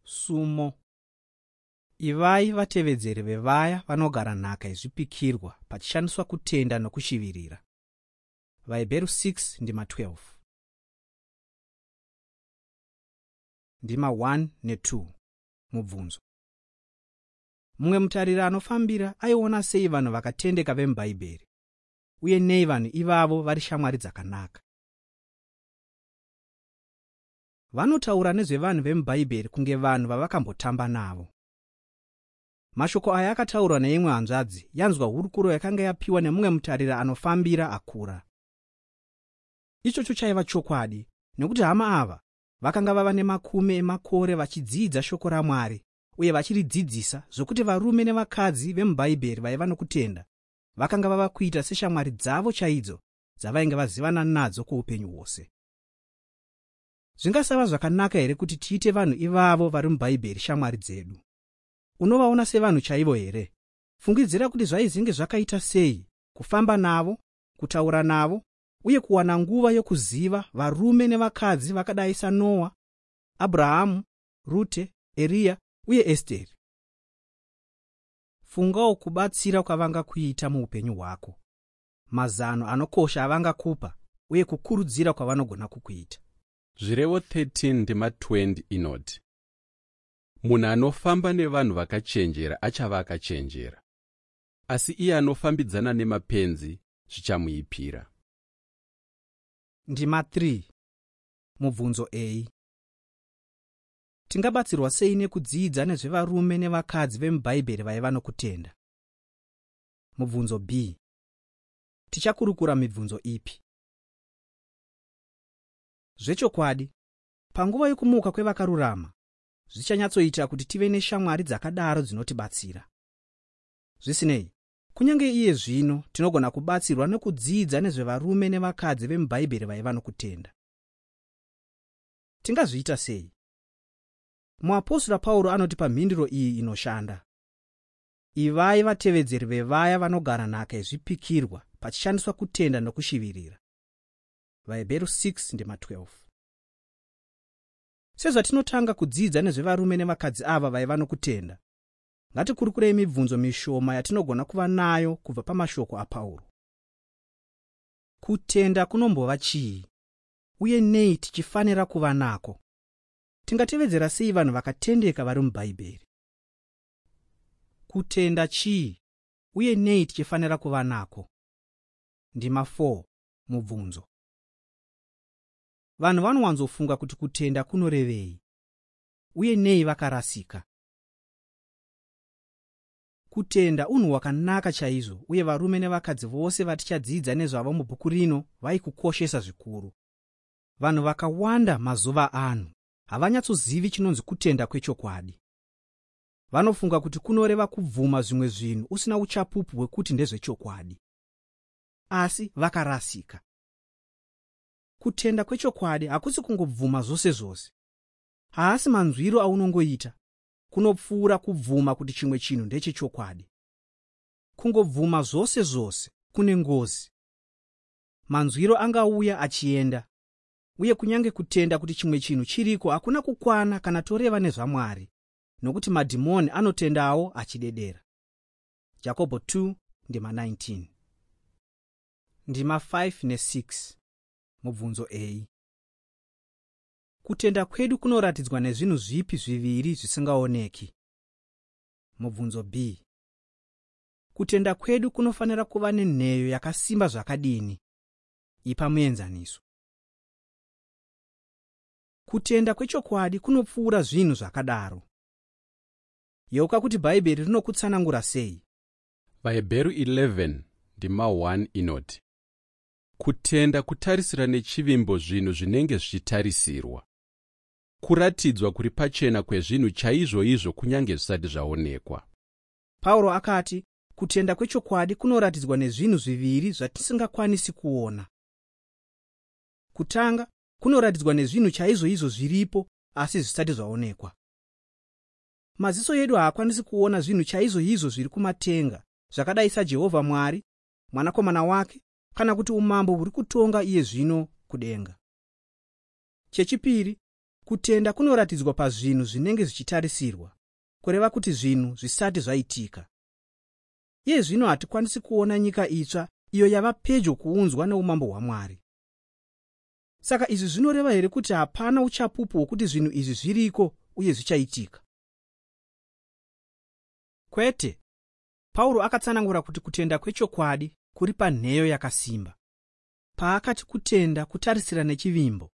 Sumo. Ivai vatevedzeri vevaya vanogara nhaka yezvipikirwa pachishandiswa kutenda nokushivirira. VaHebheru 6 ndima 12. Ndima 1 ne2. Mubvunzo. Mumwe mutariri anofambira aiona sei vanhu vakatendeka vemuBhaibheri, uye nei vanhu ivavo vari shamwari dzakanaka? Vanotaura nezvevanhu vemuBhaibheri kunge vanhu vavakambotamba navo. Mashoko aya akataurwa neimwe hanzvadzi yanzwa hurukuro yakanga yapiwa nemumwe mutariri anofambira akura. Ichocho chaiva chokwadi, nekuti hama ava vakanga vava nemakumi emakore vachidzidza shoko raMwari uye vachiridzidzisa, zvokuti varume nevakadzi vemuBhaibheri vaiva nokutenda vakanga vava kuita seshamwari dzavo chaidzo dzavainge vazivana nadzo kwoupenyu hwose. Zvingasava zvakanaka here kuti tiite vanhu ivavo vari muBhaibheri shamwari dzedu? Unovaona sevanhu chaivo here? Fungidzira kuti zvaizinge zvakaita sei kufamba navo, kutaura navo uye kuwana nguva yokuziva varume nevakadzi vakadai saNoa, Abrahamu, Rute, Eriya uye Esteri. Fungawo kubatsira kwavangakuita muupenyu hwako, mazano anokosha avangakupa uye kukurudzira kwavanogona kukuita. Zvirevo 13 ndima 20 inoti, munhu anofamba nevanhu vakachenjera achava akachenjera, asi iye anofambidzana nemapenzi zvichamuipira. Ndima 3. Mubvunzo A. Tingabatsirwa sei nekudzidza nezvevarume nevakadzi vemuBhaibheri vaiva nokutenda? Mubvunzo B. Tichakurukura mibvunzo ipi? Zvechokwadi, panguva yokumuka kwevakarurama, zvichanyatsoita kuti tive neshamwari dzakadaro dzinotibatsira. Zvisinei, kunyange iye zvino tinogona kubatsirwa nekudzidza nezvevarume nevakadzi vemuBhaibheri vaiva nokutenda. Tingazviita sei? Muapostora Pauro anotipa mhinduro iyi inoshanda. Ivai vatevedzeri vevaya vanogara nhaka yezvipikirwa pachishandiswa kutenda nokushivirira. VaHebheru 6 ndima 12. Sezvatinotanga kudzidza nezvevarume nevakadzi ava vaiva nokutenda, ngatikurukurei mibvunzo mishoma yatinogona kuva nayo kubva pamashoko aPauro. Kutenda kunombova chii, uye nei tichifanira kuva nako? Tingatevedzera sei vanhu vakatendeka vari muBhaibheri? Kutenda chii, uye nei tichifanira kuva nako? Ndima 4. Mubvunzo. Vanhu vanowanzofunga kuti kutenda kunorevei, uye nei vakarasika? Kutenda unhu hwakanaka chaizvo, uye varume nevakadzi vose vatichadzidza nezvavo mubhuku rino vaikukoshesa zvikuru. Vanhu vakawanda mazuva ano havanyatsozivi chinonzi kutenda kwechokwadi. Vanofunga kuti kunoreva kubvuma zvimwe zvinhu usina uchapupu hwekuti ndezvechokwadi. Asi vakarasika. Kutenda kwechokwadi hakusi kungobvuma zvose zvose. Haasi manzwiro aunongoita. Kunopfuura kubvuma kuti chimwe chinhu ndechechokwadi. Kungobvuma zvose zvose kune ngozi. Manzwiro angauya achienda, uye kunyange kutenda kuti chimwe chinhu chiriko hakuna kukwana kana toreva nezvaMwari, nokuti madhimoni anotendawo achidedera. Jakobho 2 ndima 19. Ndima 5 ne6. Mubvunzo A. Kutenda kwedu kunoratidzwa nezvinhu zvipi zviviri zvisingaoneki? Mubvunzo B. Kutenda kwedu kunofanira kuva nenheyo yakasimba zvakadini? Ipa muenzaniso. Kutenda kwechokwadi kunopfuura zvinhu zvakadaro. Yeuka kuti Bhaibheri rinokutsanangura sei. VaHebheru 11 ndima 1 inoti, kutenda kutarisira nechivimbo zvinhu zvinenge zvichitarisirwa, kuratidzwa kuri pachena kwezvinhu chaizvoizvo kunyange zvisati zvaonekwa. Pauro akati kutenda kwechokwadi kunoratidzwa nezvinhu zviviri zvatisingakwanisi kuona. Kutanga, kunoratidzwa nezvinhu chaizvoizvo zviripo asi zvisati zvaonekwa. Maziso edu haakwanisi kuona zvinhu chaizvoizvo zviri kumatenga, zvakadai saJehovha Mwari, Mwanakomana wake, kana kuti umambo huri kutonga iye zvino kudenga. Chechipiri, Kutenda kunoratidzwa pazvinhu zvinenge zvichitarisirwa, kureva kuti zvinhu zvisati zvaitika. Iye zvino hatikwanisi kuona nyika itsva iyo yava pedyo kuunzwa neumambo hwaMwari. Saka izvi zvinoreva here kuti hapana uchapupu hwokuti zvinhu izvi zviriko uye zvichaitika? Kwete. Pauro akatsanangura kuti kutenda kwechokwadi kuri panheyo yakasimba. Paakati kutenda kutarisira nechivimbo,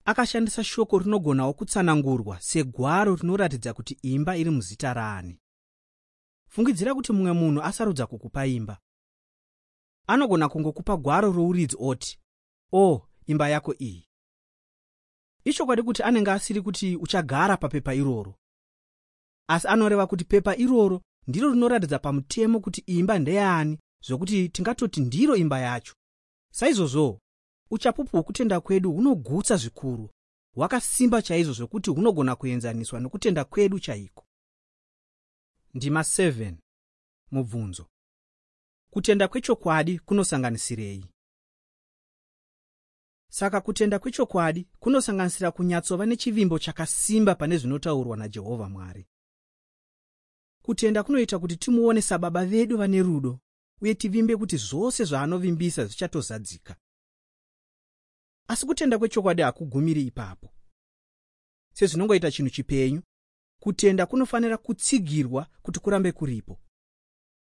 akashandisa shoko rinogonawo kutsanangurwa segwaro rinoratidza kuti imba iri muzita raani. Fungidzira kuti mumwe munhu asarudza kukupa imba. Anogona kungokupa gwaro rouridzi oti, "O, imba yako iyi." Ichokwadi kuti anenge asiri kuti uchagara papepa iroro, asi anoreva kuti pepa iroro ndiro rinoratidza pamutemo kuti imba ndeyani, zvokuti tingatoti ndiro imba yacho. Saizvozvo, uchapupu hwokutenda kwedu hunogutsa zvikuru, hwakasimba chaizvo zvokuti hunogona kuenzaniswa nokutenda kwedu chaiko. Ndima 7. Mubvunzo: Kutenda kwechokwadi kunosanganisirei? Saka kutenda kwechokwadi kunosanganisira kunyatsova nechivimbo chakasimba pane zvinotaurwa naJehovha Mwari. Kutenda kunoita kuti timuone saBaba vedu vane rudo uye tivimbe kuti zvose zvaanovimbisa zvichatozadzika. Asi kutenda kwechokwadi hakugumiri ipapo. Sezvinongoita chinhu chipenyu, kutenda kunofanira kutsigirwa kuti kurambe kuripo.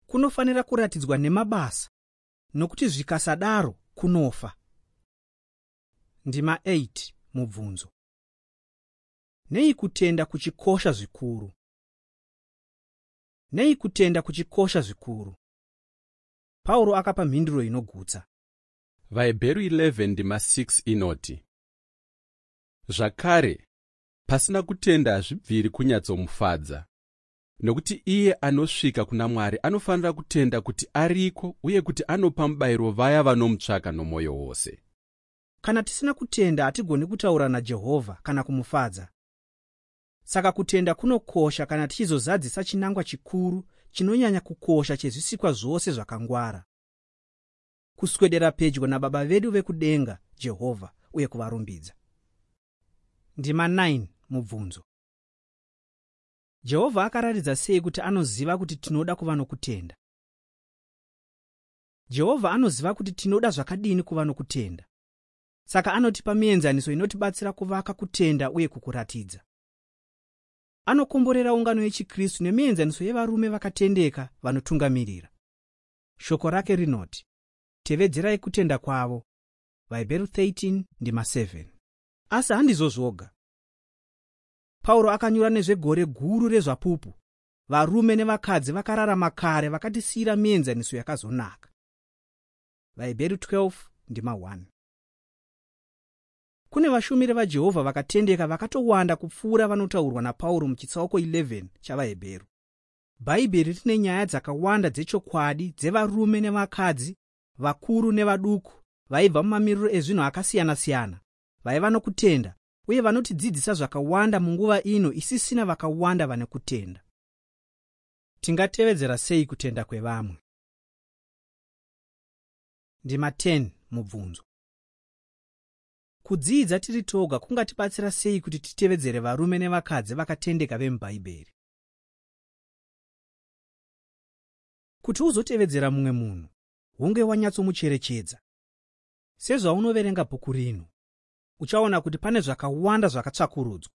Kunofanira kuratidzwa nemabasa, nokuti zvikasadaro kunofa. Ndima 8. Mubvunzo: Nei kutenda kuchikosha zvikuru? Nei kutenda kuchikosha zvikuru? Pauro akapa mhinduro inogutsa. VaHebheru 11 ndima 6 inoti, "Zvakare, pasina kutenda hazvibviri kunyatsomufadza, nokuti iye anosvika kuna Mwari anofanira kutenda kuti ariko uye kuti anopa mubayiro vaya vanomutsvaka nomwoyo wose." Kana tisina kutenda hatigoni kutaura naJehovha kana kumufadza. Saka kutenda kunokosha kana tichizozadzisa chinangwa chikuru chinonyanya kukosha chezvisikwa zvose zvakangwara: kuswedera pedyo naBaba vedu vekudenga, Jehovha, uye kuvarumbidza. Ndima 9. Mubvunzo: Jehovha akaratidza sei kuti anoziva kuti tinoda kuva nokutenda? Jehovha anoziva kuti tinoda zvakadini kuva nokutenda. Saka anotipa mienzaniso inotibatsira kuvaka kutenda uye kukuratidza. Anokomborera ungano yechiKristu nemienzaniso yevarume vakatendeka vanotungamirira. Shoko rake rinoti, "Tevedzerai kutenda kwavo." VaHebheru 13 ndima 7. Asi handizvo zvoga. Pauro akanyora nezvegore guru rezvapupu, varume nevakadzi vakararama kare vakatisiyira mienzaniso yakazonaka. VaHebheru 12 ndima 1. Kune vashumiri vaJehovha vakatendeka vakatowanda kupfuura vanotaurwa naPauro muchitsauko 11 chavaHebheru. Bhaibheri rine nyaya dzakawanda dzechokwadi dzevarume nevakadzi, vakuru nevaduku, vaibva mumamiriro ezvinhu akasiyana-siyana, vaiva nokutenda uye vanotidzidzisa zvakawanda munguva ino isisina vakawanda vane kutenda. Tingatevedzera sei kutenda kwevamwe? Ndima 10. Mubvunzo: Kudzidza tiri toga kungatibatsira sei kuti titevedzere varume nevakadzi vakatendeka vemuBhaibheri? Kuti uzotevedzera mumwe munhu, hunge wanyatsomucherechedza. Sezvaunoverenga bhuku rino, uchaona kuti pane zvakawanda zvakatsvakurudzwa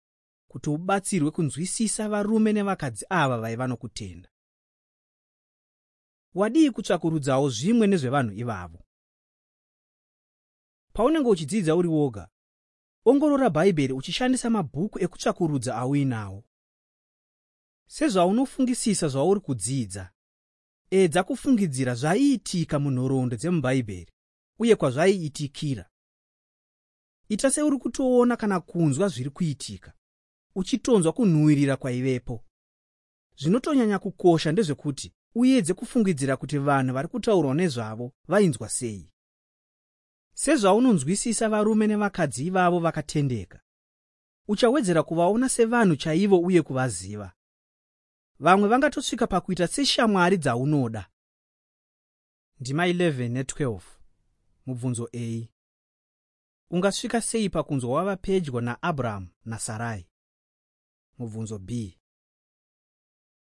kuti ubatsirwe kunzwisisa varume nevakadzi ava vaiva nokutenda. Wadii kutsvakurudzawo zvimwe nezvevanhu ivavo? Paunenge uchidzidza uri woga, ongorora Bhaibheri uchishandisa mabhuku ekutsvakurudza auinawo. Sezvaunofungisisa zvauri kudzidza, edza kufungidzira zvaiitika munhoroondo dzemuBhaibheri uye kwazvaiitikira. Ita seuri kutoona kana kunzwa zviri kuitika, uchitonzwa kunhuhwirira kwaivepo. Zvinotonyanya kukosha ndezvekuti uedze kufungidzira kuti vanhu vari kutaurwa nezvavo vainzwa sei. Sezvaunonzwisisa varume nevakadzi ivavo vakatendeka, uchawedzera kuvaona sevanhu chaivo uye kuvaziva. Vamwe vangatosvika pakuita seshamwari dzaunoda. Ndima 11 ne12. Mubvunzo A. Ungasvika sei pakunzwa wava pedyo naAbrahamu naSarai? Mubvunzo B.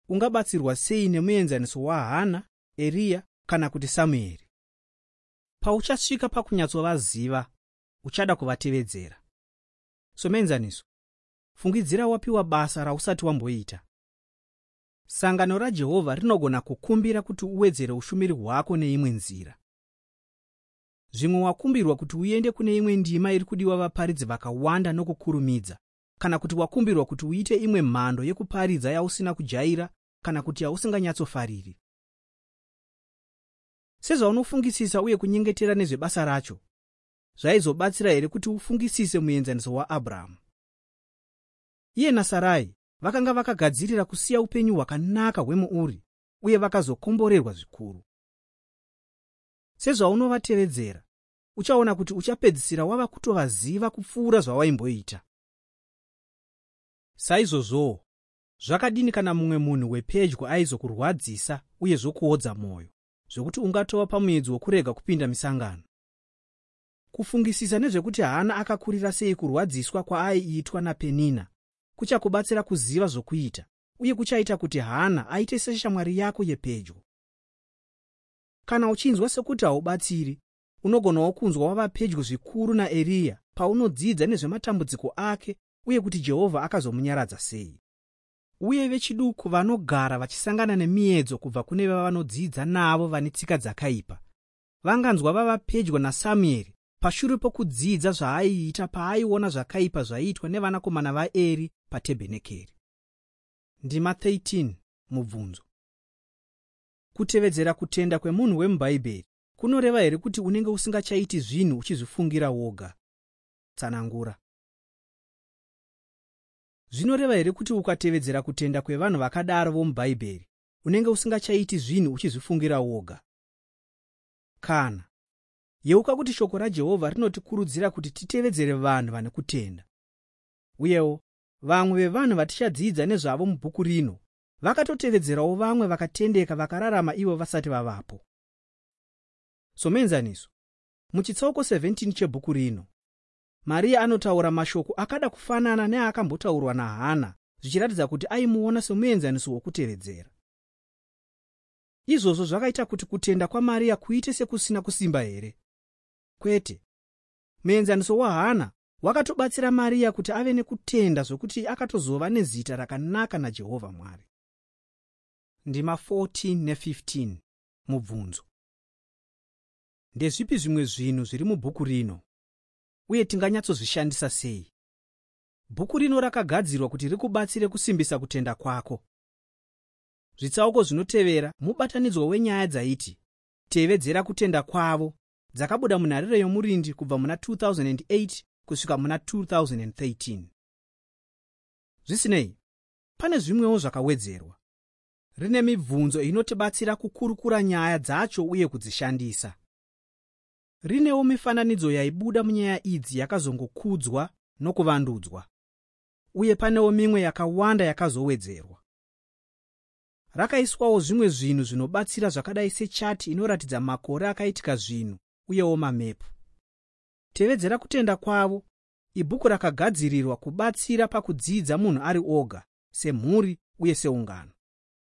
Ungabatsirwa sei nemuenzaniso waHana, Eriya kana kuti Samueri? Pauchasvika pakunyatsovaziva, uchada kuvatevedzera. Somuenzaniso, fungidzira wapiwa basa rausati wamboita. Sangano raJehovha rinogona kukumbira kuti uwedzere ushumiri hwako neimwe nzira. Zvimwe wakumbirwa kuti uende kune imwe ndima iri kudiwa vaparidzi vakawanda nokukurumidza, kana kuti wakumbirwa kuti uite imwe mhando yekuparidza yausina kujaira kana kuti yausinganyatsofariri. Sezvaunofungisisa uye kunyengetera nezvebasa racho, zvaizobatsira here kuti ufungisise muenzaniso waAbrahamu? Iye naSarai vakanga vakagadzirira kusiya upenyu hwakanaka hwemuUri uye vakazokomborerwa zvikuru. Sezvaunovatevedzera, uchaona kuti uchapedzisira wava kutovaziva kupfuura zvawaimboita. Saizvozvowo, zvakadini kana mumwe munhu wepedyo aizokurwadzisa uye zvokuodza mwoyo, zvokuti ungatova pamuedzo wokurega kupinda misangano? Kufungisisa nezvekuti Hana akakurira sei kurwadziswa kwaaiitwa naPenina kuchakubatsira kuziva zvokuita uye kuchaita kuti Hana aite seshamwari yako yepedyo. Kana uchinzwa sekuti haubatsiri, unogonawo kunzwa wava pedyo zvikuru naEriya paunodzidza nezvematambudziko ake uye kuti Jehovha akazomunyaradza sei. Uye vechiduku vanogara vachisangana nemiedzo kubva kune vavanodzidza navo vane tsika dzakaipa vanganzwa vava pedyo naSamueri pashure pokudzidza zvaaiita paaiona zvakaipa zvaiitwa nevanakomana vaEri patebhenekeri. Ndima 13 Mubvunzo. Kutevedzera kutenda kwemunhu wemuBhaibheri kunoreva here kuti unenge usingachaiti zvinhu uchizvifungira woga? Tsanangura. Zvinoreva here kuti ukatevedzera kutenda kwevanhu vakadaro vomuBhaibheri unenge usingachaiti zvinhu uchizvifungira woga? Kana. Yeuka kuti shoko raJehovha rinotikurudzira kuti titevedzere vanhu vane kutenda. Uyewo, vamwe vevanhu vatichadzidza nezvavo mubhuku rino vakatotevedzerawo vamwe vakatendeka vakararama ivo vasati vavapo. Somuenzaniso, muchitsauko 17 chebhuku rino, Mariya anotaura mashoko akada kufanana neakambotaurwa naHana, zvichiratidza kuti aimuona somuenzaniso wokutevedzera. Izvozvo zvakaita kuti kutenda kwaMariya kuite sekusina kusimba here? Kwete. Muenzaniso waHana wakatobatsira Mariya kuti ave nekutenda zvokuti akatozova nezita rakanaka naJehovha Mwari. Ndima 14 ne15 Mubvunzo. Ndezvipi zvimwe zvinhu zviri mubhuku rino, uye tinganyatsozvishandisa sei? Bhuku rino rakagadzirwa kuti rikubatsire kusimbisa kutenda kwako. Zvitsauko zvinotevera mubatanidzwa wenyaya dzaiti Tevedzera Kutenda Kwavo dzakabuda muNharireyomurindi kubva muna 2008 kusvika muna 2013. Zvisinei, pane zvimwewo zvakawedzerwa. Rine mibvunzo inotibatsira kukurukura nyaya dzacho uye kudzishandisa. Rinewo mifananidzo yaibuda munyaya idzi yakazongokudzwa nokuvandudzwa. Uye panewo mimwe yakawanda yakazowedzerwa. Rakaiswawo zvimwe zvinhu zvinobatsira zvakadai sechati inoratidza makore akaitika zvinhu uyewo mamepu. Tevedzera Kutenda Kwavo ibhuku rakagadzirirwa kubatsira pakudzidza munhu ari oga, semhuri uye seungano.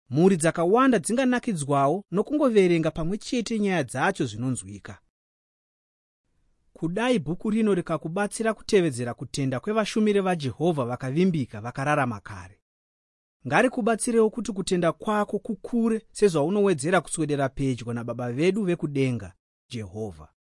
Mhuri dzakawanda dzinganakidzwawo nokungoverenga pamwe chete nyaya dzacho zvinonzwika. Kudai bhuku rino rikakubatsira kutevedzera kutenda kwevashumiri vaJehovha vakavimbika vakararama kare, ngarikubatsirewo kuti kutenda kwako kukure sezvaunowedzera kuswedera pedyo naBaba vedu vekudenga, Jehovha.